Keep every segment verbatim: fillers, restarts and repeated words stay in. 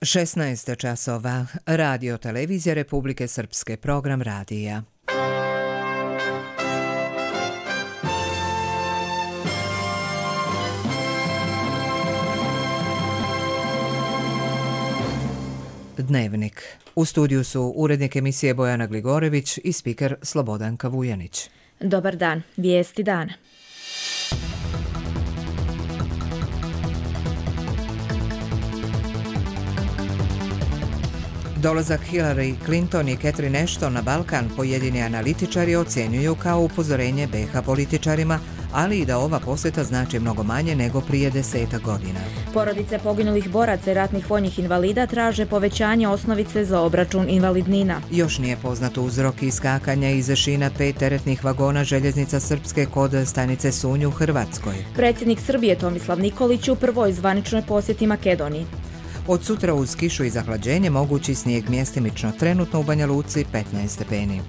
šesnaest časova. Radio Televizija Republike Srpske, program radija. Dnevnik. U studiju su urednik emisije Bojana Gligorević i spiker Slobodanka Vujanić. Dobar dan. Vijesti dana. Dolazak Hillary Clinton i Catherine Ashton na Balkan pojedini analitičari ocjenjuju kao upozorenje be ha političarima, ali i da ova posjeta znači mnogo manje nego prije desetak godina. Porodice poginulih boraca i ratnih vojnih invalida traže povećanje osnovice za obračun invalidnina. Još nije poznat uzrok iskakanja iz šina pet teretnih vagona željeznica Srpske kod stanice Sunj u Hrvatskoj. Predsjednik Srbije Tomislav Nikolić u prvoj zvaničnoj posjeti Makedoniji. Od sutra uz kišu i zahlađenje mogući snijeg mjestimično, trenutno u Banja Luci petnaest stepeni.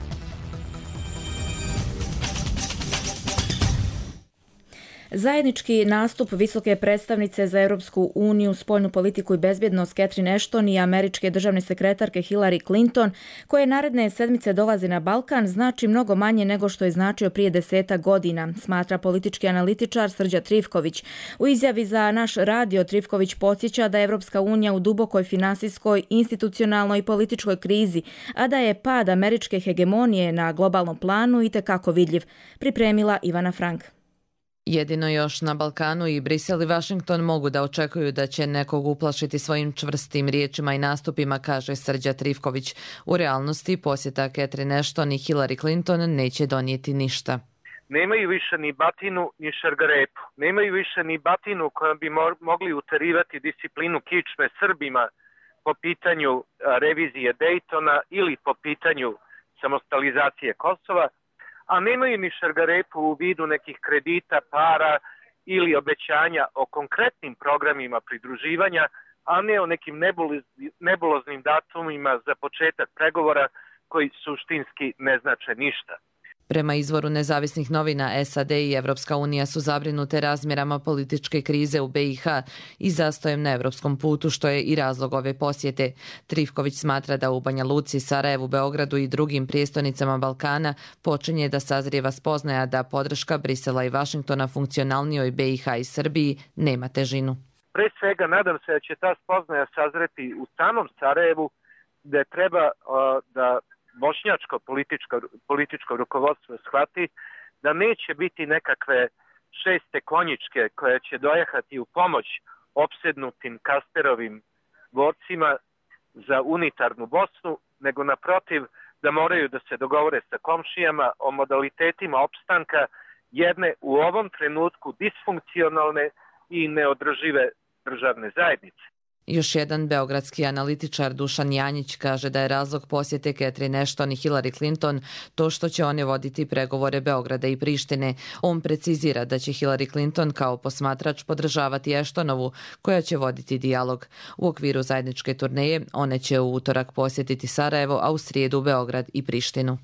Zajednički nastup visoke predstavnice za Europsku uniju, spoljnu politiku i bezbjednost Catherine Ashton i američke državne sekretarke Hillary Clinton, koje naredne sedmice dolaze na Balkan, znači mnogo manje nego što je značio prije desetak godina, smatra politički analitičar Srđa Trifković. U izjavi za naš radio Trifković podsjeća da je Europska unija u dubokoj finansijskoj, institucionalnoj i političkoj krizi, a da je pad američke hegemonije na globalnom planu itekako vidljiv, pripremila Ivana Frank. Jedino još na Balkanu i Brisel i Washington mogu da očekuju da će nekog uplašiti svojim čvrstim riječima i nastupima, kaže Srđa Trifković. U realnosti posjeta Catherine Ashton i Hillary Clinton neće donijeti ništa. Nemaju više ni batinu ni šargarepu. Nemaju više ni batinu kojom bi mogli uterivati disciplinu kičme Srbima po pitanju revizije Dejtona ili po pitanju samostalizacije Kosova, a nemaju ni šargarepu u vidu nekih kredita, para ili obećanja o konkretnim programima pridruživanja, a ne o nekim nebuloznim datumima za početak pregovora koji suštinski ne znače ništa. Prema izvoru nezavisnih novina, es a de i Evropska unija su zabrinute razmjerama političke krize u be i ha i zastojem na evropskom putu, što je i razlog ove posjete. Trifković smatra da u Banja Luci, Sarajevu, Beogradu i drugim prijestolnicama Balkana počinje da sazrijeva spoznaja da podrška Brisela i Vašingtona funkcionalnijoj be i ha i Srbiji nema težinu. Pre svega nadam se da će ta spoznaja sazreti u samom Sarajevu, gde treba uh, da bošnjačko političko, političko rukovodstvo shvati da neće biti nekakve šeste konjičke koje će dojehati u pomoć opsednutim Kasterovim borcima za unitarnu Bosnu, nego naprotiv da moraju da se dogovore sa komšijama o modalitetima opstanka jedne u ovom trenutku disfunkcionalne i neodržive državne zajednice. Još jedan beogradski analitičar Dušan Janjić kaže da je razlog posjete Catherine Ashton i Hillary Clinton to što će one voditi pregovore Beograda i Prištine. On precizira da će Hillary Clinton kao posmatrač podržavati Ashtonovu, koja će voditi dijalog. U okviru zajedničke turneje one će u utorak posjetiti Sarajevo, a u srijedu Beograd i Prištinu.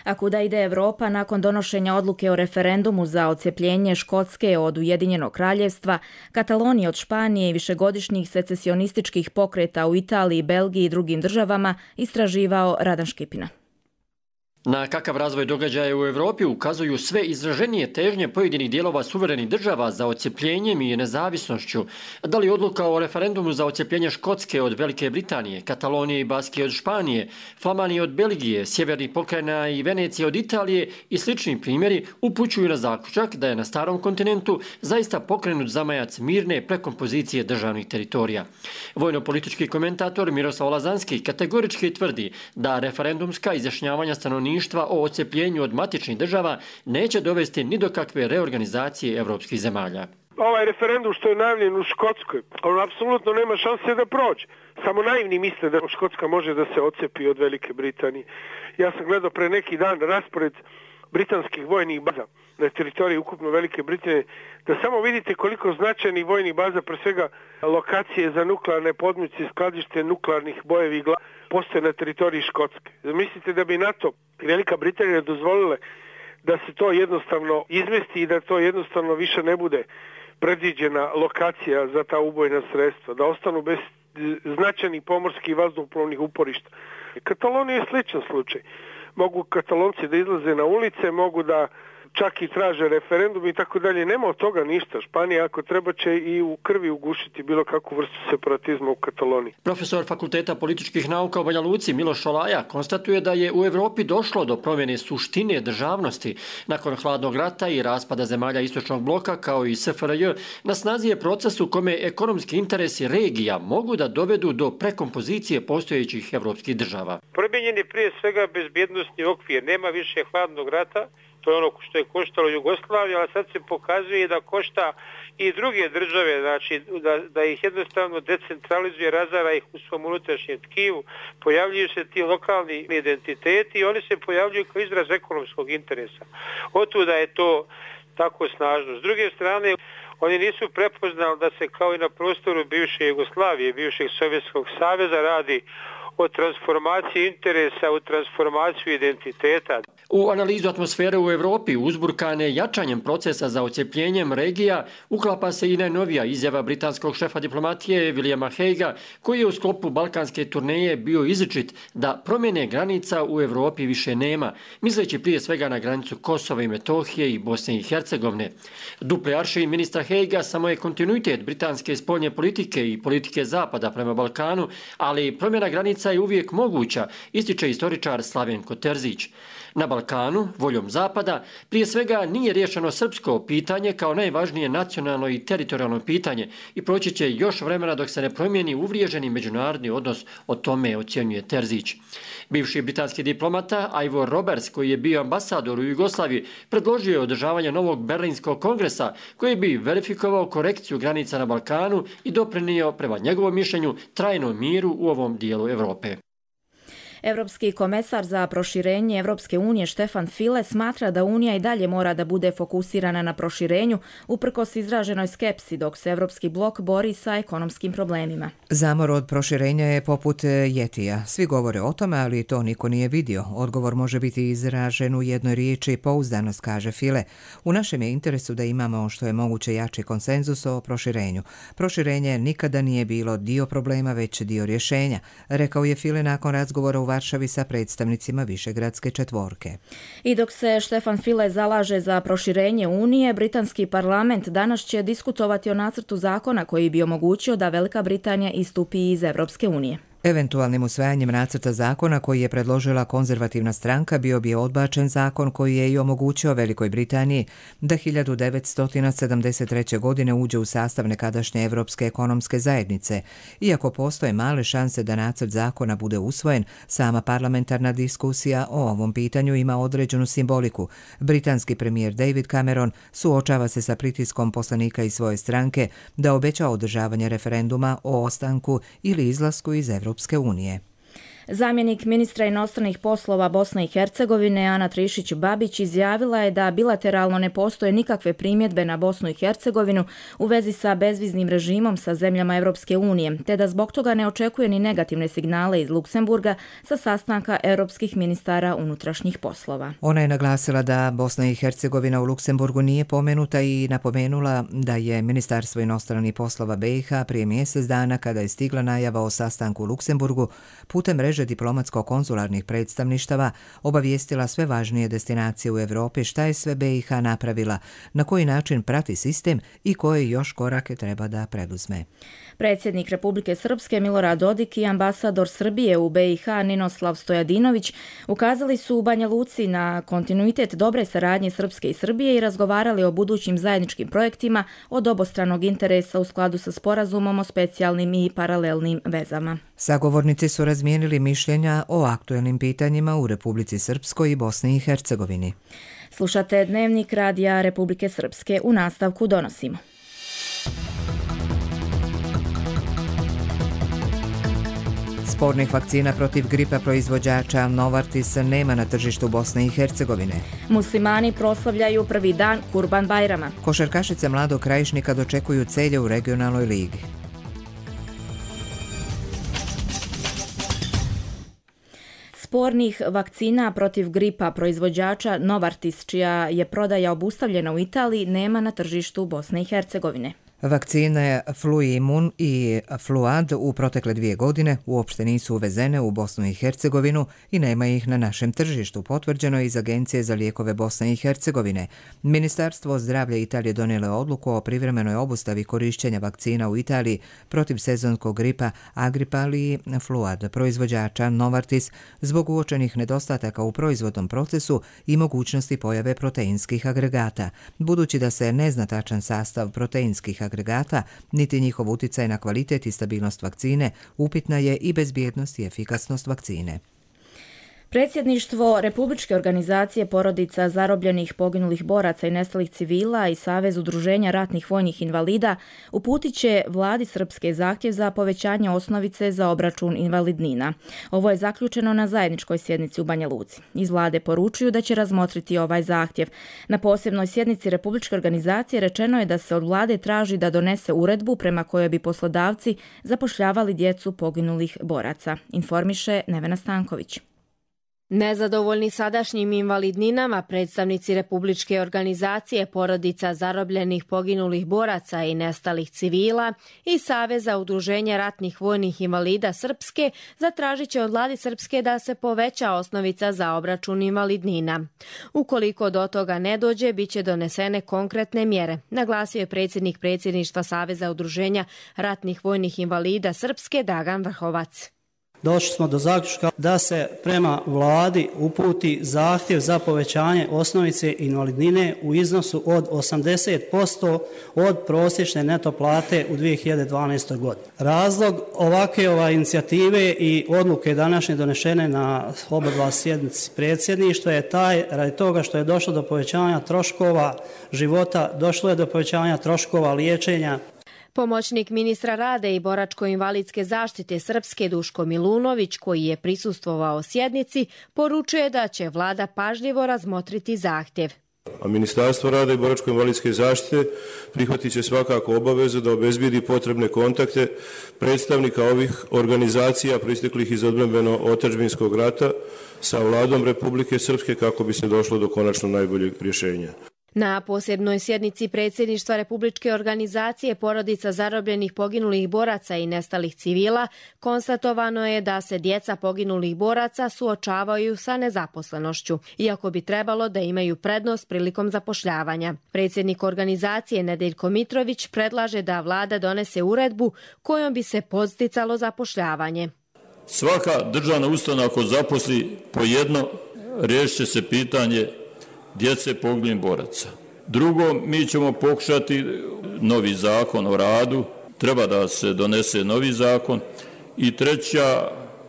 A kuda ide Evropa nakon donošenja odluke o referendumu za odcepljenje Škotske od Ujedinjenog kraljevstva, Katalonije od Španije i višegodišnjih secesionističkih pokreta u Italiji, Belgiji i drugim državama, istraživao Radan Škipina. Na kakav razvoj događaja u Europi ukazuju sve izraženije težnje pojedinih dijelova suverenih država za odcepljenjem i nezavisnošću. Da li odluka o referendumu za odcepljenje Škotske od Velike Britanije, Katalonije i Baskije od Španije, Flamanije od Belgije, Sjevernih pokrajina i Venecije od Italije i slični primjeri upućuju na zaključak da je na starom kontinentu zaista pokrenut zamajac mirne prekompozicije državnih teritorija. Vojno-politički komentator Miroslav Lazanski kategorički tvrdi da referendumska izjašnjavanja stanovništva o odcepljenju od matičnih država neće dovesti ni do kakve reorganizacije evropskih zemalja. Ovaj referendum što je najavljen u Škotskoj, on apsolutno nema šanse da prođe. Samo naivni misle da Škotska može da se odcepi od Velike Britanije. Ja sam gledao pre neki dan raspored britanskih vojnih baza na teritoriji ukupno Velike Britanije, da samo vidite koliko značajnih vojnih baza, pre svega lokacije za nuklearne podmornice, skladište nuklearnih bojevi glava, postoje na teritoriji Škotske. Mislite da bi NATO i Velika Britanija dozvolile da se to jednostavno izmesti i da to jednostavno više ne bude predviđena lokacija za ta ubojna sredstva, da ostanu bez značajnih pomorskih i vazduhoplovnih uporišta. Katalonija je sličan slučaj. Mogu Katalonci da izlaze na ulice, mogu da čak i traže referendum i tako dalje. Nema od toga ništa. Španija ako treba će i u krvi ugušiti bilo kakvu vrstu separatizma u Kataloniji. Profesor Fakulteta političkih nauka u Banja Luci Miloš Šolaja konstatuje da je u Evropi došlo do promjene suštine državnosti. Nakon hladnog rata i raspada zemalja istočnog bloka kao i S F R J, na snazi je proces u kome ekonomski interesi regija mogu da dovedu do prekompozicije postojećih evropskih država. Promijenjen je prije svega bezbjednosni okvir. Nema više hladnog rata. To je ono što je koštalo Jugoslaviju, ali sad se pokazuje da košta i druge države, znači da, da ih jednostavno decentralizuje, razara ih u svom unutrašnjem tkivu, pojavljuju se ti lokalni identiteti i oni se pojavljuju kao izraz ekonomskog interesa. Otuda je to tako snažno. S druge strane, oni nisu prepoznali da se kao i na prostoru bivše Jugoslavije, bivšeg Sovjetskog saveza radi o transformaciji interesa u transformaciju identiteta. U analizu atmosfere u Evropi uzburkane jačanjem procesa za odcepljenjem regija uklapa se i najnovija izjava britanskog šefa diplomatije Williama Haguea, koji je u sklopu balkanske turneje bio izričit da promjene granica u Evropi više nema, misleći prije svega na granicu Kosova i Metohije i Bosne i Hercegovine. Duple aršin ministra Haguea samo je kontinuitet britanske spoljne politike i politike zapada prema Balkanu, ali promjena granica je uvijek moguća, ističe istoričar Slavenko Terzić. Na Balkanu, voljom Zapada, prije svega nije riješeno srpsko pitanje kao najvažnije nacionalno i teritorijalno pitanje i proći će još vremena dok se ne promijeni uvriježeni međunarodni odnos, o tome ocjenjuje Terzić. Bivši britanski diplomata Ivor Roberts, koji je bio ambasador u Jugoslaviji, predložio je održavanje novog Berlinskog kongresa koji bi verifikovao korekciju granica na Balkanu i doprinio, prema njegovom mišljenju, trajnom miru u ovom dijelu Europe. Evropski komesar za proširenje Evropske unije Štefan File smatra da Unija i dalje mora da bude fokusirana na proširenju uprkos izraženoj skepsi dok se Evropski blok bori sa ekonomskim problemima. Zamor od proširenja je poput jetija. Svi govore o tome, ali to niko nije vidio. Odgovor može biti izražen u jednoj riječi pouzdanost, kaže File. U našem je interesu da imamo što je moguće jači konsenzus o proširenju. Proširenje nikada nije bilo dio problema, već dio rješenja, rekao je File nakon razgovora u Varšavi sa predstavnicima Višegradske četvorke. I dok se Štefan File zalaže za proširenje Unije, britanski parlament danas će diskutovati o nacrtu zakona koji bi omogućio da Velika Britanija istupi iz Evropske unije. Eventualnim usvajanjem nacrta zakona koji je predložila konzervativna stranka bio bi odbačen zakon koji je i omogućio Velikoj Britaniji da hiljadu devetsto sedamdeset treće. godine uđe u sastav nekadašnje Evropske ekonomske zajednice. Iako postoje male šanse da nacrt zakona bude usvojen, sama parlamentarna diskusija o ovom pitanju ima određenu simboliku. Britanski premijer David Cameron suočava se sa pritiskom poslanika iz svoje stranke da obeća održavanje referenduma o ostanku ili izlasku iz Evropske Europske unije. Zamjenik ministra inostranih poslova Bosne i Hercegovine Ana Trišić-Babić izjavila je da bilateralno ne postoje nikakve primjedbe na Bosnu i Hercegovinu u vezi sa bezviznim režimom sa zemljama Europske unije, te da zbog toga ne očekuje ni negativne signale iz Luksemburga sa sastanka europskih ministara unutrašnjih poslova. Ona je naglasila da Bosna i Hercegovina u Luksemburgu nije pomenuta i napomenula da je Ministarstvo inostranih poslova B i H prije mjesec dana, kada je stigla najava o sastanku u Luksemburgu, putem mreže diplomatsko-konzularnih predstavništava obavijestila sve važnije destinacije u Europi šta je sve B i H napravila, na koji način prati sistem i koje još korake treba da preduzme. Predsjednik Republike Srpske Milorad Dodik i ambasador Srbije u B i H Ninoslav Stojadinović ukazali su u Banja Luci na kontinuitet dobre saradnje Srpske i Srbije i razgovarali o budućim zajedničkim projektima od obostranog interesa u skladu sa sporazumom o specijalnim i paralelnim vezama. Sagovornici su razmijenili mišljenja o aktuelnim pitanjima u Republici Srpskoj i Bosni i Hercegovini. Slušate Dnevnik Radija Republike Srpske. U nastavku donosimo. Spornih vakcina protiv gripa proizvođača Novartis nema na tržištu Bosne i Hercegovine. Muslimani proslavljaju prvi dan Kurban Bajrama. Košarkašice Mladog Krajišnika dočekuju celje u regionalnoj ligi. Spornih vakcina protiv gripa proizvođača Novartis, čija je prodaja obustavljena u Italiji, nema na tržištu Bosne i Hercegovine. Vakcine Fluimun i Fluad u protekle dvije godine uopšte nisu uvezene u Bosnu i Hercegovinu i nema ih na našem tržištu, potvrđeno je iz Agencije za lijekove Bosne i Hercegovine. Ministarstvo zdravlja Italije donijelo je odluku o privremenoj obustavi korišćenja vakcina u Italiji protiv sezonskog gripa Agripal i Fluad proizvođača Novartis zbog uočenih nedostataka u proizvodnom procesu i mogućnosti pojave proteinskih agregata. Budući da se ne zna tačan sastav proteinskih agregata, niti njihov utjecaj na kvalitet i stabilnost vakcine, upitna je i bezbjednost i efikasnost vakcine. Predsjedništvo Republičke organizacije porodica zarobljenih poginulih boraca i nestalih civila i Savez udruženja ratnih vojnih invalida uputit će vladi Srpske zahtjev za povećanje osnovice za obračun invalidnina. Ovo je zaključeno na zajedničkoj sjednici u Banja Luci. Iz vlade poručuju da će razmotriti ovaj zahtjev. Na posebnoj sjednici Republičke organizacije rečeno je da se od vlade traži da donese uredbu prema kojoj bi poslodavci zapošljavali djecu poginulih boraca. Informiše Nevena Stanković. Nezadovoljni sadašnjim invalidninama, predstavnici Republičke organizacije porodica zarobljenih poginulih boraca i nestalih civila i Saveza udruženja ratnih vojnih invalida Srpske zatražit će od vlade Srpske da se poveća osnovica za obračun invalidnina. Ukoliko do toga ne dođe, bit će donesene konkretne mjere, naglasio je predsjednik predsjedništva Saveza udruženja ratnih vojnih invalida Srpske Dragan Vrhovac. Došli smo do zaključka da se prema vladi uputi zahtjev za povećanje osnovice invalidnine u iznosu od osamdeset posto od prosječne neto plate u dvije hiljade dvanaestoj godini. Razlog ovakve ove inicijative i odluke današnje donešene na oba dva sjednici predsjedništva je taj radi toga što je došlo do povećanja troškova života, došlo je do povećanja troškova liječenja. Pomoćnik ministra rada i boračko-invalidske zaštite Srpske Duško Milunović, koji je prisustvovao sjednici, poručuje da će vlada pažljivo razmotriti zahtjev. A Ministarstvo rada i boračko-invalidske zaštite prihvatit će svakako obavezu da obezbijedi potrebne kontakte predstavnika ovih organizacija proisteklih iz odbrambeno-otadžbinskog rata sa vladom Republike Srpske kako bi se došlo do konačno najboljeg rješenja. Na posebnoj sjednici predsjedništva Republičke organizacije porodica zarobljenih poginulih boraca i nestalih civila konstatovano je da se djeca poginulih boraca suočavaju sa nezaposlenošću, iako bi trebalo da imaju prednost prilikom zapošljavanja. Predsjednik organizacije Nedeljko Mitrović predlaže da vlada donese uredbu kojom bi se podsticalo zapošljavanje. Svaka državna ustanova ako zaposli po jedno, riješit će se pitanje djece poginulih boraca. Drugo, mi ćemo pokušati novi zakon o radu, treba da se donese novi zakon. I treća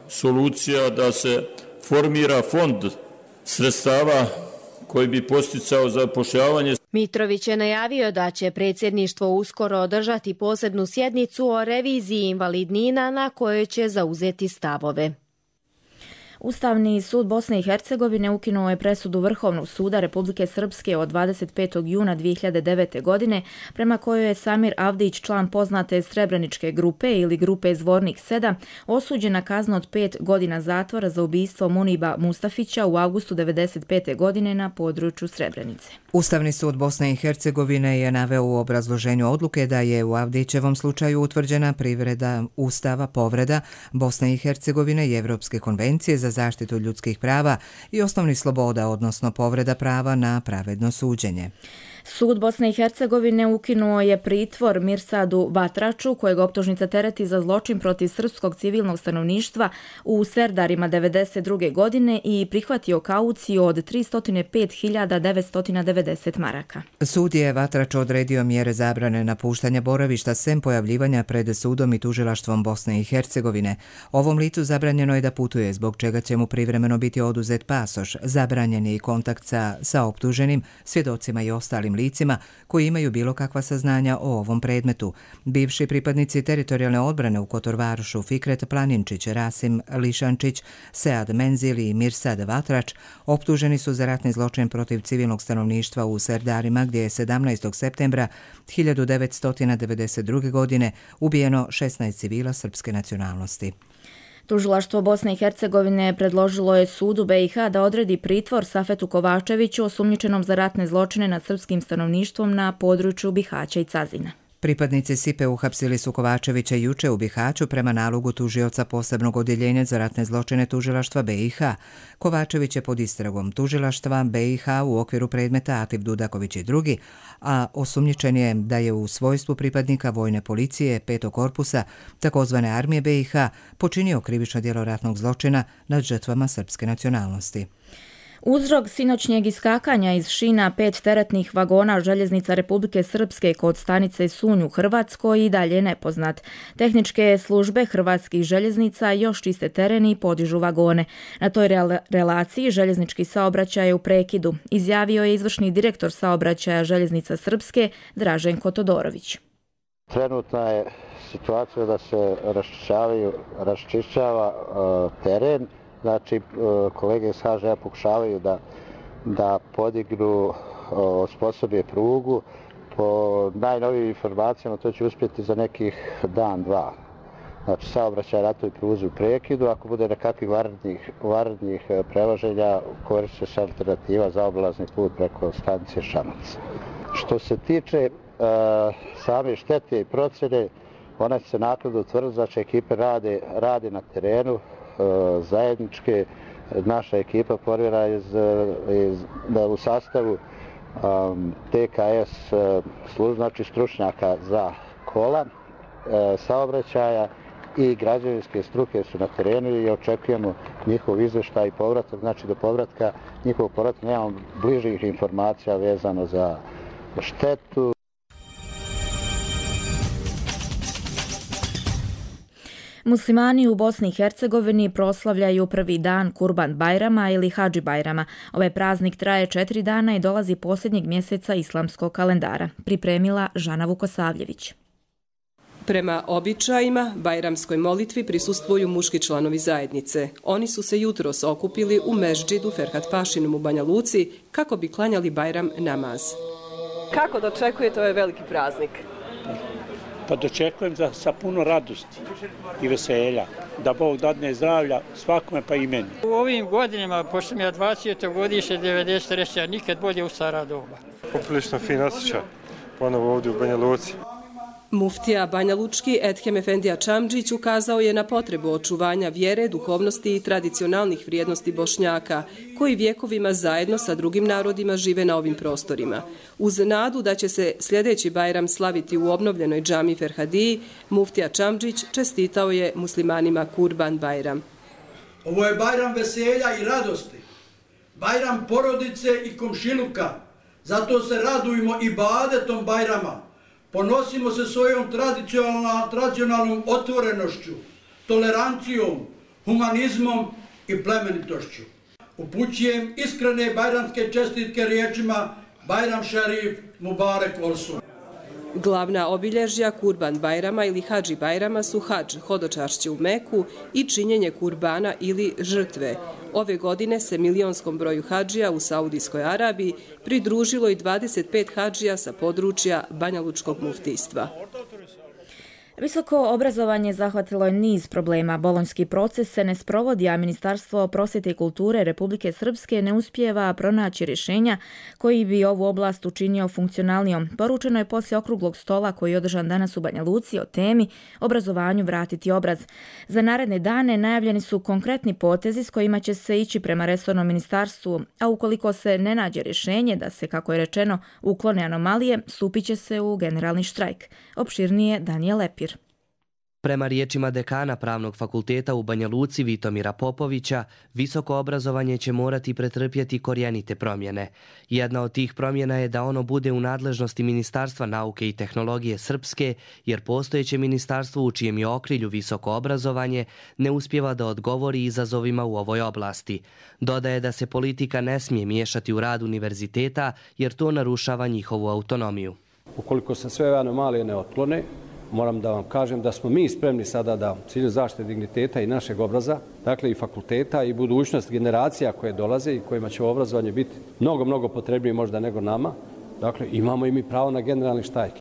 solucija da se formira fond sredstava koji bi posticao zapošljavanje. Mitrović je najavio da će predsjedništvo uskoro održati posebnu sjednicu o reviziji invalidnina na kojoj će zauzeti stavove. Ustavni sud Bosne i Hercegovine ukinuo je presudu Vrhovnog suda Republike Srpske od dvadeset petog juna dvije hiljade devete. godine, prema kojoj je Samir Avdić, član poznate Srebreničke grupe ili grupe Zvornik sedam, osuđen na kaznu od pet godina zatvora za ubistvo Muniba Mustafića u avgustu devedeset pete. godine na području Srebrenice. Ustavni sud Bosne i Hercegovine je naveo u obrazloženju odluke da je u Avdićevom slučaju utvrđena privreda Ustava, povreda Bosne i Hercegovine i Evropske konvencije za zaštitu ljudskih prava i osnovnih sloboda, odnosno povreda prava na pravedno suđenje. Sud Bosne i Hercegovine ukinuo je pritvor Mirsadu Vatraču, kojeg optužnica tereti za zločin protiv srpskog civilnog stanovništva u Serdarima devedeset druge. godine i prihvatio kauciju od tristo pet hiljada devetsto devedeset maraka. Sud je Vatraču odredio mjere zabrane napuštanja boravišta sem pojavljivanja pred sudom i tužilaštvom Bosne i Hercegovine. Ovom licu zabranjeno je da putuje, zbog čega će mu privremeno biti oduzet pasoš. Zabranjen je i kontakt sa, sa optuženim, svjedocima i ostalim licima koji imaju bilo kakva saznanja o ovom predmetu. Bivši pripadnici teritorijalne odbrane u Kotorvarušu Fikret Planinčić, Rasim Lišančić, Sead Menzil i Mirsad Vatrač optuženi su za ratni zločin protiv civilnog stanovništva u Serdarima, gdje je sedamnaestog septembra hiljadu devetsto devedeset druge. godine ubijeno šesnaest civila srpske nacionalnosti. Tužilaštvo Bosne i Hercegovine predložilo je sudu be i ha da odredi pritvor Safetu Kovačeviću, osumnjičenom za ratne zločine nad srpskim stanovništvom na području Bihaća i Cazina. Pripadnici Sipe uhapsili su Kovačevića juče u Bihaću prema nalogu tužioca posebnog odjeljenja za ratne zločine tužilaštva B i H. Kovačević je pod istragom tužilaštva B i H u okviru predmeta Atif Dudaković i drugi, a osumnjičen je da je u svojstvu pripadnika vojne policije petog korpusa takozvane armije B i H počinio krivično djelo ratnog zločina nad žrtvama srpske nacionalnosti. Uzrok sinoćnjeg iskakanja iz šina pet teretnih vagona željeznica Republike Srpske kod stanice Sunj u Hrvatskoj i dalje nepoznat. Tehničke službe hrvatskih željeznica još čiste teren i podižu vagone. Na toj relaciji željeznički saobraćaj je u prekidu, izjavio je izvršni direktor saobraćaja željeznica Srpske Draženko Todorović. Trenutna je situacija da se raščišćava uh, teren. Znači, kolege iz H Ž A pokušavaju da, da podignu, osposobe prugu. Po najnovijim informacijama to će uspjeti za nekih dan, dva. Znači, saobraćaj na toj pruzi u prekidu. Ako bude nekakvih vanrednih, vanrednih prevoženja, koristit će se alternativa za obilazni put preko stanice Šanac. Što se tiče uh, same štete i procjene, ona će se naknadno utvrditi, znači ekipe rade, rade na terenu, zajedničke. Naša ekipa formirana iz, iz, u sastavu um, T K S služb, znači stručnjaka za kola, uh, saobraćaja i građevinske struke su na terenu i očekujemo njihov izvještaj i povratak. Znači do povratka njihovog povratka nemamo bližih informacija vezano za štetu. Muslimani u Bosni i Hercegovini proslavljaju prvi dan Kurban Bajrama ili Hadži Bajrama. Ovaj praznik traje četiri dana i dolazi posljednjeg mjeseca islamskog kalendara. Pripremila Žana Vukosavljević. Prema običajima, bajramskoj molitvi prisustvuju muški članovi zajednice. Oni su se jutros okupili u Meždžidu Ferhat Pašinom u Banja Luci kako bi klanjali Bajram namaz. Kako dočekujete ovaj veliki praznik? Pa dočekujem za, sa puno radosti i veselja, da Bog dadne zdravlja svakome pa i meni. U ovim godinama, pošto sam ja dvadeseto godište devedeset treće a nikad bolje u stara doba. Poprilično fin osjećaj, ponovo ovdje u Banja Luci. Muftija Banja Lučki Edhem Efendija Čamdžić ukazao je na potrebu očuvanja vjere, duhovnosti i tradicionalnih vrijednosti Bošnjaka, koji vjekovima zajedno sa drugim narodima žive na ovim prostorima. Uz nadu da će se sljedeći Bajram slaviti u obnovljenoj džami Ferhadiji, muftija Čamdžić čestitao je muslimanima Kurban Bajram. Ovo je Bajram veselja i radosti, Bajram porodice i komšiluka, zato se radujemo i badetom Bajrama. Ponosimo se svojom tradicionalnom otvorenošću, tolerancijom, humanizmom i plemenitošću. Upućujem iskrene bajramske čestitke riječima Bajram Šerif Mubarek Olsun. Glavna obilježja Kurban Bajrama ili Hadži Bajrama su hadž, hodočašće u Meku i činjenje kurbana ili žrtve. Ove godine se milionskom broju hadžija u Saudijskoj Arabiji pridružilo i dvadeset pet hadžija sa područja Banja Lučkog muftijstva. Visoko obrazovanje zahvatilo je niz problema. Bolonjski proces se ne sprovodi, a Ministarstvo prosvjete i kulture Republike Srpske ne uspijeva pronaći rješenja koji bi ovu oblast učinio funkcionalnijom. Poručeno je poslije okruglog stola koji je održan danas u Banja Luci o temi obrazovanju vratiti obraz. Za naredne dane najavljeni su konkretni potezi s kojima će se ići prema resornom ministarstvu, a ukoliko se ne nađe rješenje da se, kako je rečeno, uklone anomalije, stupit će se u generalni štrajk. Opširnije Danijel Lepir. Prema riječima dekana Pravnog fakulteta u Banja Luci Vitomira Popovića, visoko obrazovanje će morati pretrpjeti korijenite promjene. Jedna od tih promjena je da ono bude u nadležnosti Ministarstva nauke i tehnologije Srpske, jer postojeće ministarstvo u čijem je okrilju visoko obrazovanje ne uspijeva da odgovori izazovima u ovoj oblasti. Dodaje da se politika ne smije miješati u rad univerziteta, jer to narušava njihovu autonomiju. Ukoliko se sve anomalije ne otklone, moram da vam kažem da smo mi spremni sada da u cilju zaštite digniteta i našeg obraza, dakle i fakulteta i budućnost generacija koje dolaze i kojima će obrazovanje biti mnogo, mnogo potrebnije možda nego nama, dakle imamo i mi pravo na generalni štrajk.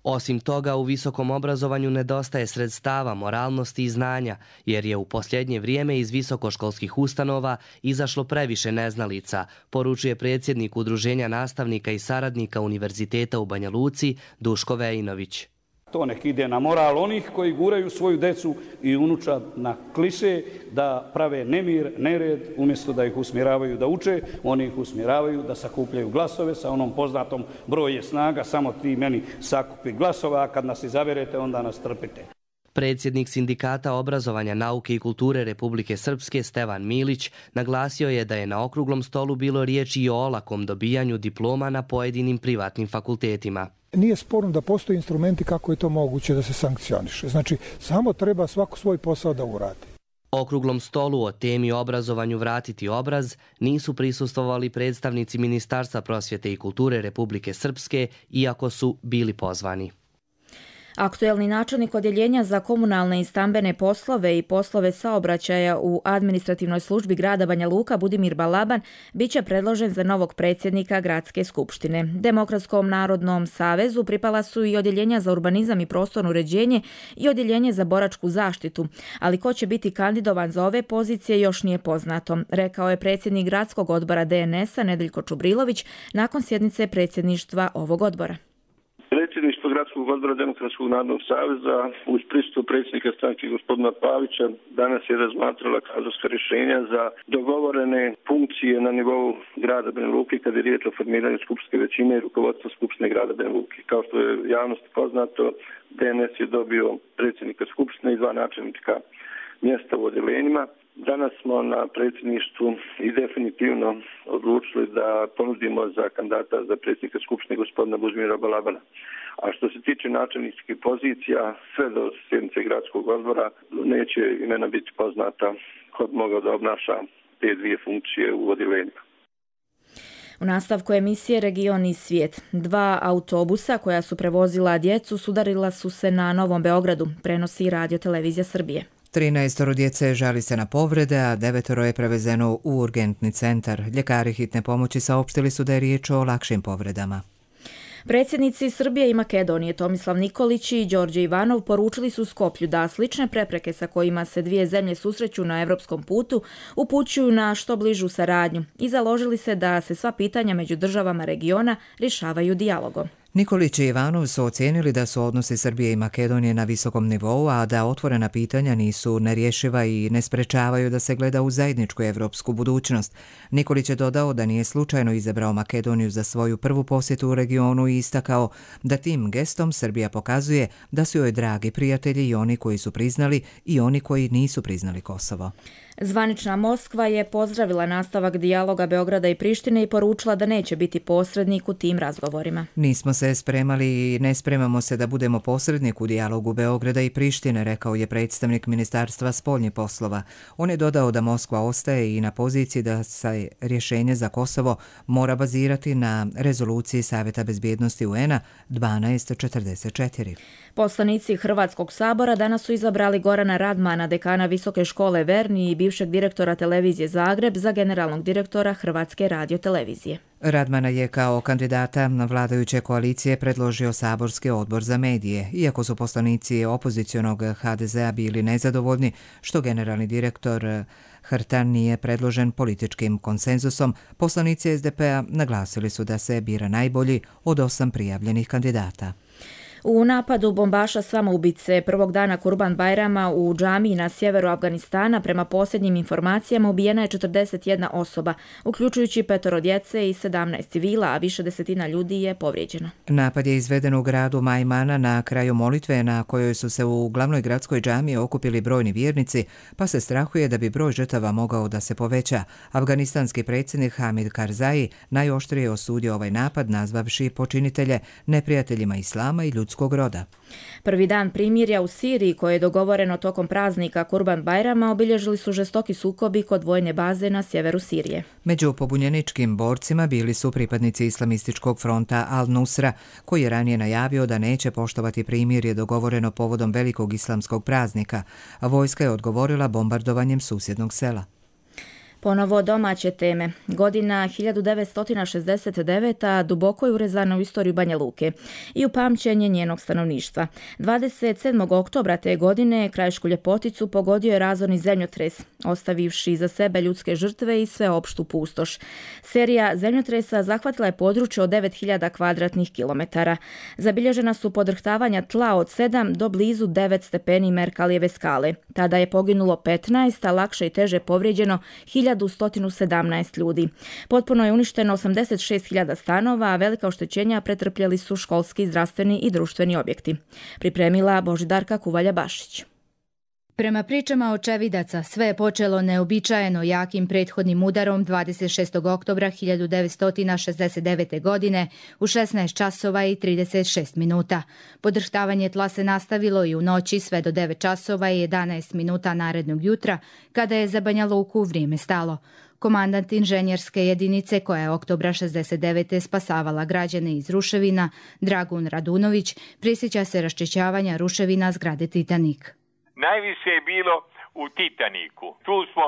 Osim toga, u visokom obrazovanju nedostaje sredstava, moralnosti i znanja, jer je u posljednje vrijeme iz visokoškolskih ustanova izašlo previše neznalica, poručuje predsjednik Udruženja nastavnika i saradnika Univerziteta u Banja Luci Duško Vejinović. To nek ide na moral onih koji guraju svoju decu i unučad na kliše da prave nemir, nered, umjesto da ih usmjeravaju da uče, oni ih usmjeravaju da sakupljaju glasove sa onom poznatom broj je snaga, samo ti meni sakupi glasova, a kad nas izaberete onda nas trpite. Predsjednik Sindikata obrazovanja, nauke i kulture Republike Srpske Stevan Milić naglasio je da je na okruglom stolu bilo riječi i o olakom dobijanju diploma na pojedinim privatnim fakultetima. Nije sporno da postoje instrumenti kako je to moguće da se sankcioniše. Znači, samo treba svako svoj posao da uradi. Okruglom stolu o temi obrazovanju Vratiti obraz nisu prisustvovali predstavnici Ministarstva prosvjete i kulture Republike Srpske, iako su bili pozvani. Aktuelni načelnik odjeljenja za komunalne i stambene poslove i poslove saobraćaja u administrativnoj službi grada Banja Luka Budimir Balaban biće predložen za novog predsjednika gradske skupštine. Demokratskom narodnom savezu pripala su i odjeljenja za urbanizam i prostorno uređenje i odjeljenje za boračku zaštitu, ali ko će biti kandidovan za ove pozicije još nije poznato, rekao je predsjednik gradskog odbora D N S-a Nedeljko Čubrilović nakon sjednice predsjedništva ovog odbora. Predsjedništvo gradskog odbora Demokratskog narodnog saveza uz prisustvo predsjednika stranke gospodina Pavića danas je razmatrala kadrovska rješenja za dogovorene funkcije na nivou grada Banja Luke kad je riječ o formiranju skupštinske većine i rukovodstva skupštine grada Banja Luke. Kao što je javnosti poznato, D N S je dobio predsjednika skupštine i dva načelnika mjesta u odjeljenjima. Danas smo na predsjedništvu i definitivno odlučili da ponudimo za kandidata za predsjednika skupštine gospodina Budimira Balabana. A što se tiče načelničkih pozicija, sve do sjednice gradskog odbora neće imena biti poznata ko bi mogao da obnaša te dvije funkcije u odjeljenju. U nastavku emisije Region i svijet. Dva autobusa koja su prevozila djecu sudarila su se na Novom Beogradu, prenosi Radio Televizija Srbije. trinaestoro djece žali se na povrede, a devetoro je prevezeno u urgentni centar. Ljekari hitne pomoći saopštili su da je riječ o lakšim povredama. Predsjednici Srbije i Makedonije Tomislav Nikolić i Đorđe Ivanov poručili su Skoplju da slične prepreke sa kojima se dvije zemlje susreću na evropskom putu upućuju na što bližu saradnju i založili se da se sva pitanja među državama regiona rješavaju dijalogom. Nikolić i Ivanov su ocijenili da su odnosi Srbije i Makedonije na visokom nivou, a da otvorena pitanja nisu nerješiva i ne sprečavaju da se gleda u zajedničku evropsku budućnost. Nikolić je dodao da nije slučajno izabrao Makedoniju za svoju prvu posjetu u regionu i istakao da tim gestom Srbija pokazuje da su joj dragi prijatelji i oni koji su priznali i oni koji nisu priznali Kosovo. Zvanična Moskva je pozdravila nastavak dijaloga Beograda i Prištine i poručila da neće biti posrednik u tim razgovorima. Nismo se spremali i ne spremamo se da budemo posrednik u dijalogu Beograda i Prištine, rekao je predstavnik Ministarstva spoljnih poslova. On je dodao da Moskva ostaje i na poziciji da se rješenje za Kosovo mora bazirati na rezoluciji Savjeta bezbjednosti U N-a dvanaest četrdeset četiri. Poslanici Hrvatskog sabora danas su izabrali Gorana Radmana, dekana Visoke škole Verni i bivšeg direktora televizije Zagreb za generalnog direktora Hrvatske radiotelevizije. Radmana je kao kandidata na vladajuće koalicije predložio Saborski odbor za medije, iako su poslanici opozicionog H D Z-a bili nezadovoljni što generalni direktor Hrtan nije predložen političkim konsenzusom, poslanici S D P-a naglasili su da se bira najbolji od osam prijavljenih kandidata. U napadu bombaša samoubice prvog dana Kurban Bajrama u džamiji na sjeveru Afganistana prema posljednjim informacijama ubijena je četrdeset jedna osoba, uključujući petoro djece i sedamnaest civila, a više desetina ljudi je povrijeđeno. Napad je izveden u gradu Majmana na kraju molitve na kojoj su se u glavnoj gradskoj džamiji okupili brojni vjernici, pa se strahuje da bi broj žrtava mogao da se poveća. Afganistanski predsjednik Hamid Karzai najoštrije osudio ovaj napad, nazvavši počinitelje neprijateljima islama i ljudskog roda. Prvi dan primirja u Siriji, koje je dogovoreno tokom praznika Kurban Bajrama, obilježili su žestoki sukobi kod vojne baze na sjeveru Sirije. Među pobunjeničkim borcima bili su pripadnici islamističkog fronta Al-Nusra, koji je ranije najavio da neće poštovati primirje dogovoreno povodom velikog islamskog praznika, a vojska je odgovorila bombardovanjem susjednog sela. Ponovo domaće teme. Godina hiljadu devetsto šezdeset deveta duboko je urezana u istoriju Banja Luke i u pamćenje njenog stanovništva. dvadeset sedmog oktobra te godine Krajišku Ljepoticu pogodio je razorni zemljotres, ostavivši iza sebe ljudske žrtve i sveopštu pustoš. Serija zemljotresa zahvatila je područje od devet hiljada kvadratnih kilometara. Zabilježena su podrhtavanja tla od sedam do blizu devet stepeni Merkalijeve skale. Tada je poginulo petnaest, a lakše i teže povrijeđeno hiljadu sto sedamnaest ljudi. Potpuno je uništeno osamdeset šest hiljada stanova, a velika oštećenja pretrpjeli su školski, zdravstveni i društveni objekti. Pripremila Božidarka Kuvalja-Bašić. Prema pričama očevidaca, sve je počelo neobičajeno jakim prethodnim udarom dvadeset šestog oktobra hiljadu devetsto šezdeset devete. godine u šesnaest časova i trideset šest minuta. Podrhtavanje tla se nastavilo i u noći sve do devet časova i jedanaest minuta narednog jutra, kada je za Banja Luku vrijeme stalo. Komandant inženjerske jedinice koja je oktobra šezdeset devete spasavala građane iz ruševina, Dragun Radunović, prisjeća se raščišćavanja ruševina zgrade Titanik. Najviše je bilo u Titaniku. Tu smo,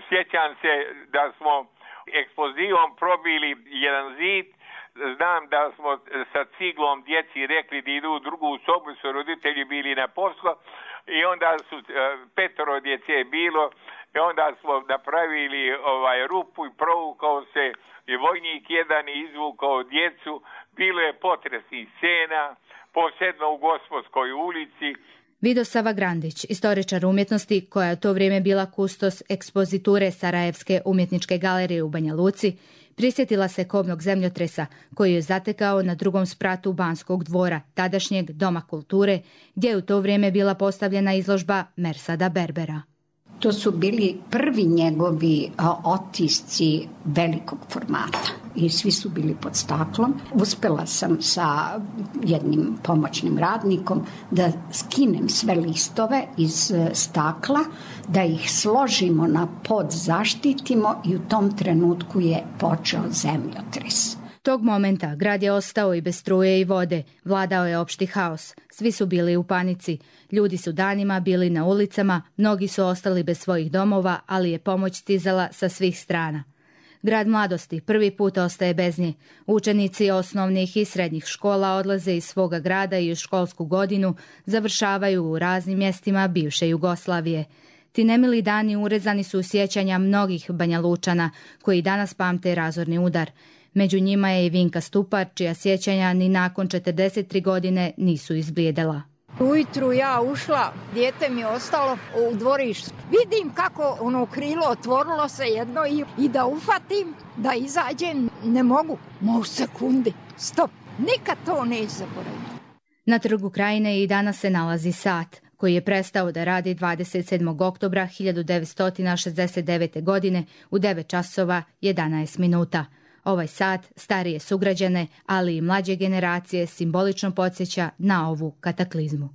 sjećam se da smo eksplozivom probili jedan zid. Znam da smo sa ciglom djeci rekli da idu u drugu sobu, su roditelji bili na poslu i onda su petoro djece je bilo i onda smo napravili ovaj rupu i provukao se i vojnik jedan izvukao djecu. Bilo je potresnih scena, posebno u Gospodskoj ulici. Vidosava Grandić, istoričar umjetnosti koja je u to vrijeme bila kustos ekspoziture Sarajevske umjetničke galerije u Banja Luci, prisjetila se kobnog zemljotresa koji je zatekao na drugom spratu Banskog dvora, tadašnjeg Doma kulture, gdje je u to vrijeme bila postavljena izložba Mersada Berbera. To su bili prvi njegovi otisci velikog formata i svi su bili pod staklom. Uspela sam sa jednim pomoćnim radnikom da skinem sve listove iz stakla, da ih složimo na pod, zaštitimo i u tom trenutku je počeo zemljotres. Tog momenta grad je ostao i bez struje i vode, vladao je opšti haos. Svi su bili u panici. Ljudi su danima bili na ulicama, mnogi su ostali bez svojih domova, ali je pomoć stizala sa svih strana. Grad mladosti prvi put ostaje bez nje. Učenici osnovnih i srednjih škola odlaze iz svoga grada i u školsku godinu završavaju u raznim mjestima bivše Jugoslavije. Ti nemili dani urezani su u sjećanja mnogih Banja Lučana koji danas pamte razorni udar. Među njima je i Vinka Stupar, čija sjećanja ni nakon četrdeset tri godine nisu izblijedela. Ujutru ja ušla, dijete mi je ostalo u dvorištu. Vidim kako ono krilo otvorilo se jedno i, i da ufatim, da izađem, ne mogu. Mo u sekundi, stop, nikad to neće zaboraviti. Na Trgu Krajine i danas se nalazi sat koji je prestao da radi dvadeset sedmog oktobra hiljadu devetsto šezdeset devete. godine u devet časova jedanaest minuta. Ovaj sat starije sugrađane, ali i mlađe generacije simbolično podsjeća na ovu kataklizmu.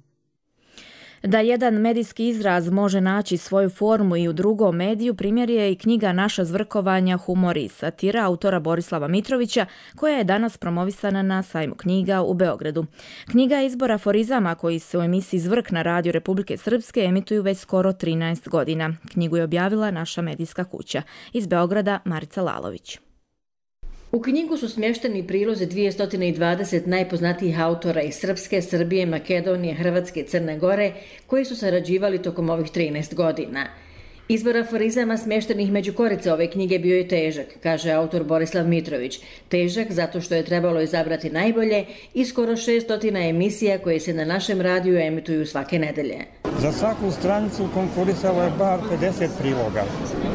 Da jedan medijski izraz može naći svoju formu i u drugom mediju, primjer je i knjiga Naša zvrkovanja, humor i satira autora Borislava Mitrovića, koja je danas promovisana na sajmu knjiga u Beogradu. Knjiga je izbor aforizama koji se u emisiji Zvrk na radiju Republike Srpske emituju već skoro trinaest godina. Knjigu je objavila naša medijska kuća. Iz Beograda Marica Lalović. U knjigu su smješteni prilozi dvjesto dvadeset najpoznatijih autora iz Srpske, Srbije, Makedonije, Hrvatske i Crne Gore koji su sarađivali tokom ovih trinaest godina. Izbor aforizama smještenih među korice ove knjige bio je težak, kaže autor Borislav Mitrović. Težak zato što je trebalo izabrati najbolje i skoro šesto emisija koje se na našem radiju emituju svake nedelje. Za svaku stranicu konkurisalo je bar pedeset priloga.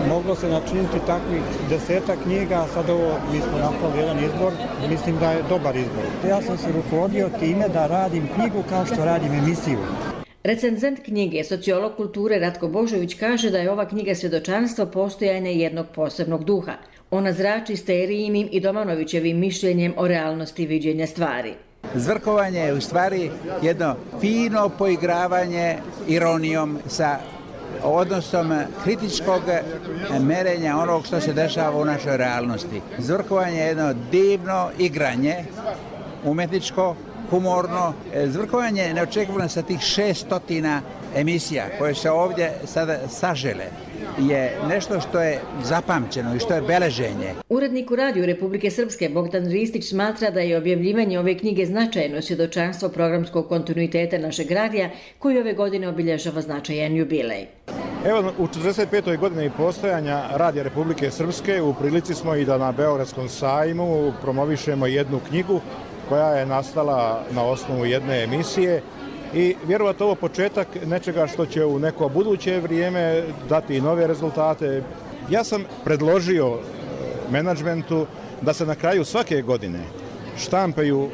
Moglo se načiniti takvih deseta knjiga, a sad ovo mi smo napravili jedan izbor, mislim da je dobar izbor. Ja sam se rukovodio time da radim knjigu kao što radim emisiju. Recenzent knjige, sociolog kulture Ratko Božović kaže da je ova knjiga svjedočanstvo postojanja jednog posebnog duha. Ona zrači Sterijinim i Domanovićevim mišljenjem o realnosti viđenja stvari. Zvrkovanje je u stvari jedno fino poigravanje ironijom sa odnosom kritičkog merenja onog što se dešava u našoj realnosti. Zvrkovanje je jedno divno igranje, umjetničko, humorno. Zvrkovanje je neočekivano sa tih šestotina emisija koje se ovdje sada sažele. je nešto što je zapamćeno i što je beleženje. Urednik u Radiju Republike Srpske Bogdan Ristić smatra da je objavljivanje ove knjige značajno svjedočanstvo programskog kontinuiteta našeg radija koji ove godine obilježava značajan jubilej. Evo, u četrdeset petoj godini postojanja Radija Republike Srpske u prilici smo i da na Beogradskom sajmu promovišemo jednu knjigu koja je nastala na osnovu jedne emisije i vjerovatno ovo početak nečega što će u neko buduće vrijeme dati i nove rezultate. Ja sam predložio menadžmentu da se na kraju svake godine štampaju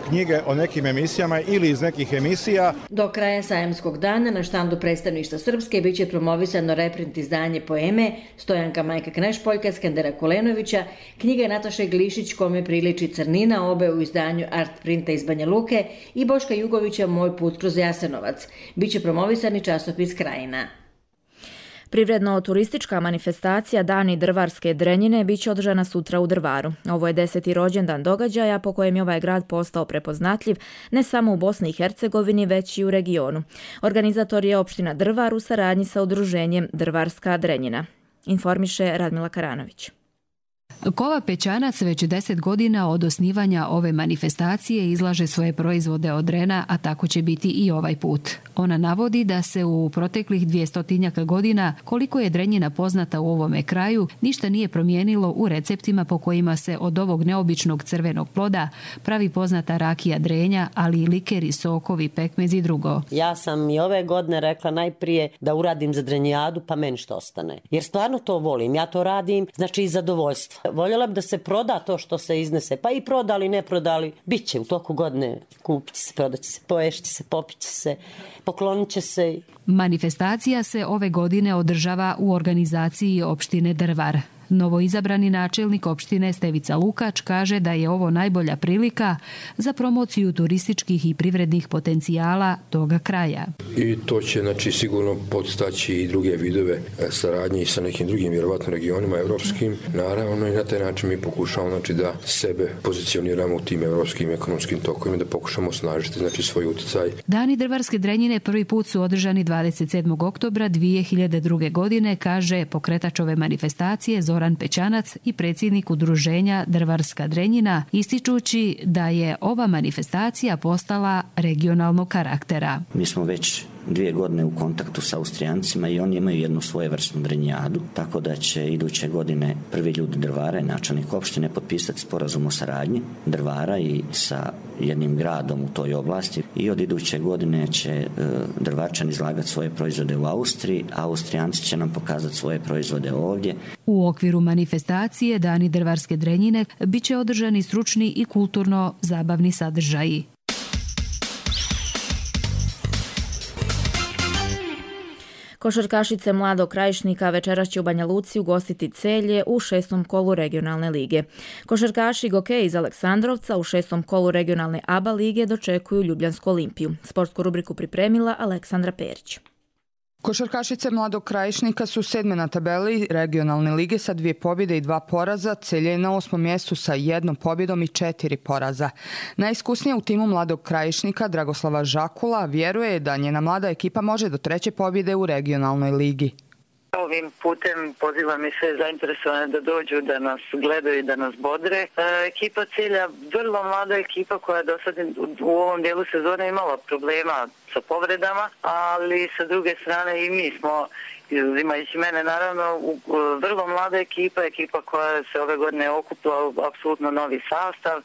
knjige o nekim emisijama ili iz nekih emisija. Do kraja sajamskog dana na štandu predstavništva Srpske biće promovisano reprint izdanje poeme Stojanka Majka Knešpoljka, Skandera Kulenovića, knjiga Nataše Glišić Kome priliči crnina, obe u izdanju Art Printa iz Banja Luke i Boška Jugovića Moj put kroz Jasenovac. Biće promovisani časopis Krajina. Privredno-turistička manifestacija Dani drvarske Drenjine biće održana sutra u Drvaru. Ovo je deseti rođendan događaja po kojem je ovaj grad postao prepoznatljiv ne samo u Bosni i Hercegovini, već i u regionu. Organizator je opština Drvar u saradnji sa udruženjem Drvarska Drenjina. Informiše Radmila Karanović. Kova Pećanac već deset godina od osnivanja ove manifestacije izlaže svoje proizvode od drena, a tako će biti i ovaj put. Ona navodi da se u proteklih dvjestotinjaka godina, koliko je Drenjina poznata u ovome kraju, ništa nije promijenilo u receptima po kojima se od ovog neobičnog crvenog ploda pravi poznata rakija Drenja, ali i likeri, sokovi, pekmez i drugo. Ja sam i ove godine rekla najprije da uradim za Drenjijadu, pa meni što ostane. Jer stvarno to volim, ja to radim, znači iz zadovoljstva. Voljela bi da se proda to što se iznese, pa i prodali, ne prodali, bit će u toku godine, kupit će se, prodat će se, poješće se, popit će se, poklonit će se. Manifestacija se ove godine održava u organizaciji opštine Drvar. Novoizabrani načelnik opštine Stevica Lukač kaže da je ovo najbolja prilika za promociju turističkih i privrednih potencijala toga kraja. I to će znači, sigurno podstaći i druge vidove saradnje sa nekim drugim vjerovatno regionima evropskim. Naravno i na taj način mi pokušamo znači, da sebe pozicioniramo u tim evropskim ekonomskim tokovima, da pokušamo osnažiti znači, svoj utjecaj. Dani drvarske Drenjine prvi put su održani dvadeset sedmog oktobra dvije hiljade druge. godine, kaže pokretač ove manifestacije Zoran Pećanac i predsjednik udruženja Drvarska Drenjina, ističući da je ova manifestacija postala regionalnog karaktera. Mi smo već dvije godine u kontaktu sa Austrijancima i oni imaju jednu svojevrsnu Drenjijadu, tako da će iduće godine prvi ljudi Drvara i načelnik opštine potpisati sporazum o saradnji Drvara i sa jednim gradom u toj oblasti i od iduće godine će e, Drvarčani izlagati svoje proizvode u Austriji, a Austrijanci će nam pokazati svoje proizvode ovdje. U okviru manifestacije Dani Drvarske Drenjine biće održani stručni i kulturno zabavni sadržaji. Košarkašice Mladog Krajišnika večeras će u Banja Luci ugostiti Celje u šestom kolu regionalne lige. Košarkaši Gokej iz Aleksandrovca u šestom kolu regionalne A B A lige dočekuju Ljubljansku Olimpiju. Sportsku rubriku pripremila Aleksandra Perić. Košarkašice Mladog Krajišnika su sedme na tabeli regionalne lige sa dvije pobjede i dva poraza. Celje je na osmom mjestu sa jednom pobjedom i četiri poraza. Najiskusnija u timu Mladog Krajišnika, Dragoslava Žakula, vjeruje da njena mlada ekipa može do treće pobjede u regionalnoj ligi. Ovim putem pozivam i sve zainteresovane da dođu, da nas gledaju i da nas bodre. E, ekipa Celja, vrlo mlada ekipa koja do sad u ovom dijelu sezone imala problema sa povredama, ali sa druge strane i mi smo, izuzimajući mene naravno, vrlo mlada ekipa, ekipa koja se ove godine okupila u apsolutno novi sastav.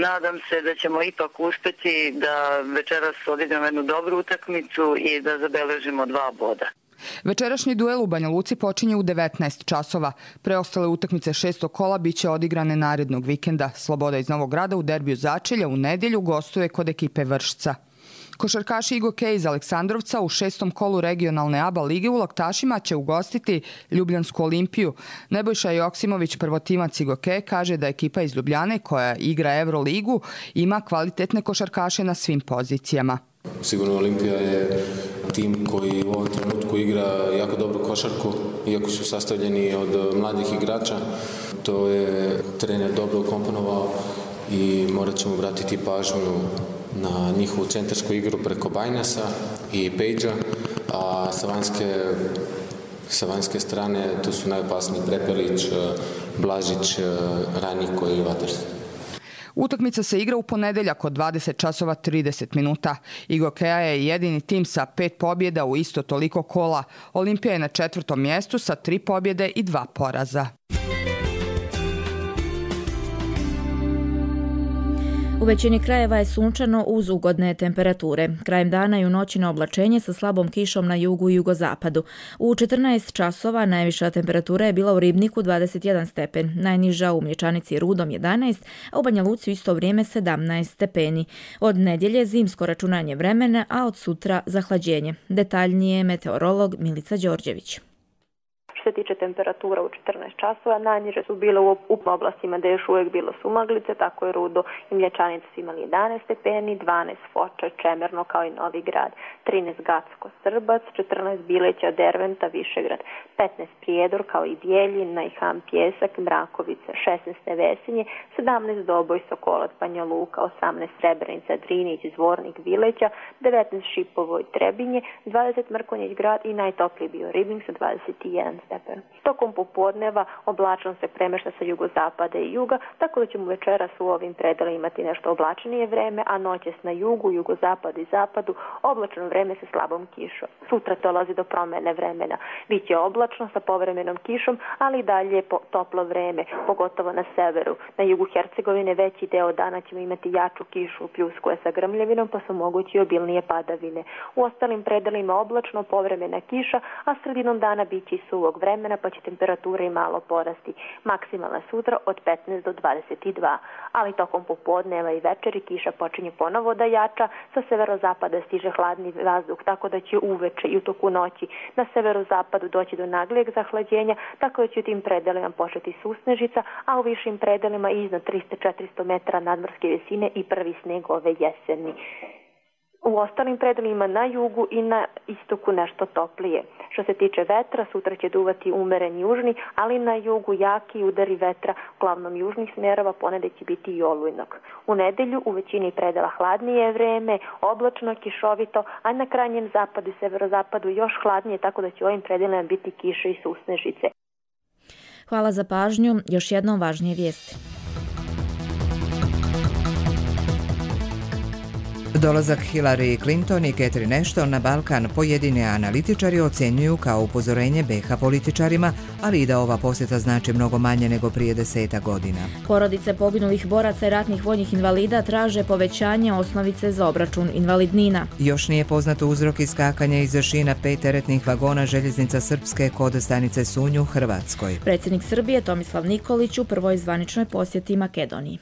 Nadam se da ćemo ipak uspjeti da večeras odigramo jednu dobru utakmicu i da zabeležimo dva boda. Večerašnji duel u Banja Luci počinje u devetnaest časova. Preostale utakmice šestog kola biće odigrane narednog vikenda. Sloboda iz Novog Grada u derbiju Začelja u nedjelju gostuje kod ekipe Vršca. Košarkaši Igo Kej iz Aleksandrovca u šestom kolu regionalne A B A lige u Laktašima će ugostiti Ljubljansku Olimpiju. Nebojša Joksimović, prvotimac Igo Kej, kaže da ekipa iz Ljubljane koja igra Euroligu ima kvalitetne košarkaše na svim pozicijama. Sigurno Olimpija je tim koji u ovom trenutku igra jako dobru košarku, iako su sastavljeni od mladih igrača. To je trener dobro ukomponovao i morat ćemo obratiti pažnju na njihovu centarsku igru preko Bajnasa i Pejđa, a sa vanjske Sa vanjske strane tu su najopasniji Prepelić, Blažić, Ranjiko i Vatrst. Utakmica se igra u ponedeljak od dvadeset časova trideset minuta. Igokeja je jedini tim sa pet pobjeda u isto toliko kola. Olimpija je na četvrtom mjestu sa tri pobjede i dva poraza. U većini krajeva je sunčano uz ugodne temperature. Krajem dana i u noći na oblačenje sa slabom kišom na jugu i jugozapadu. U četrnaest časova najviša temperatura je bila u Ribniku dvadeset jedan stepen, najniža u Mlječanici i Rudom jedanaest, a u Banja Luci u isto vrijeme sedamnaest stepeni. Od nedjelje zimsko računanje vremena, a od sutra zahlađenje. Detaljnije meteorolog Milica Đorđević. Što se tiče temperatura u četrnaest časova, najniže su bile u, u oblastima gdje je još uvijek bilo sumaglice, tako je Rudo i Mlječanica su imali jedanaest stepeni, dvanaest Foča, Čemerno kao i Novi Grad, trinaest Gacko, Srbac, četrnaest Bileća, Derventa, Višegrad, petnaest Prijedor kao i Bijeljin, Najham, Pjesak, Mrakovica, šesnaest Nevesinje, sedamnaest Doboj, Sokolac, Banja Luka, osamnaest Srebrenica, Drinić, Zvornik, Vileća, devetnaest Šipovo i Trebinje, dvadeset Mrkonjić Grad i najtopliji bio Ribnik sa dvadeset jedan stepen. Tokom popodneva oblačno se premešta sa jugozapada i juga, tako da ćemo večeras u ovim predelima imati nešto oblačnije vreme, a noćas na jugu, jugozapadu i zapadu oblačno vreme sa slabom kišom. Sutra dolazi do promjene vremena. Biće oblačno sa povremenom kišom, ali i dalje je toplo vreme, pogotovo na severu. Na jugu Hercegovine veći deo dana ćemo imati jaču kišu, pljuskuje sa grmljavinom, pa su mogući obilnije padavine. U ostalim predelima oblačno, povremena kiša, a sredinom dana biće i suvog vremena, pa će temperatura i malo porasti. Maksimalna sutra od petnaest do dvadeset dva, ali tokom popodneva i večeri kiša počinje ponovo da jača, sa severozapada stiže hladni vazduh, tako da će uveče i u toku noći na severozapadu doći do naglijeg zahlađenja, tako da će u tim predelima početi susnežica, a u višim predelima iznad trista do četiristo metara nadmorske visine i prvi sneg ove jeseni. U ostalim predelima na jugu i na istoku nešto toplije. Što se tiče vetra, sutra će duvati umeren južni, ali na jugu jaki udari vetra, uglavnom južnih smjerova, ponedjeljak će biti i olujnog. U nedelju u većini predela hladnije vreme, oblačno, kišovito, a na krajnjem zapadu i severozapadu još hladnije, tako da će u ovim predelima biti kiše i susnežice. Hvala za pažnju. Još jednom važnije vijesti. Dolazak Hillary Clinton i Catherine Ashton na Balkan pojedini analitičari ocjenjuju kao upozorenje be ha političarima, ali i da ova posjeta znači mnogo manje nego prije deseta godina. Porodice poginulih boraca i ratnih vojnih invalida traže povećanje osnovice za obračun invalidnina. Još nije poznato uzrok iskakanja iz šina pet teretnih vagona željeznica Srpske kod stanice Sunj u Hrvatskoj. Predsjednik Srbije Tomislav Nikolić u prvoj zvaničnoj posjeti Makedoniji.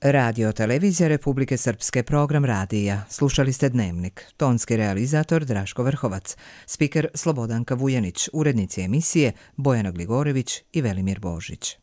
Radio televizija Republike Srpske, program radija. Slušali ste Dnevnik. Tonski realizator Draško Vrhovac. Spiker Slobodanka Vujanić. Urednici emisije Bojana Gligorević i Velimir Božić.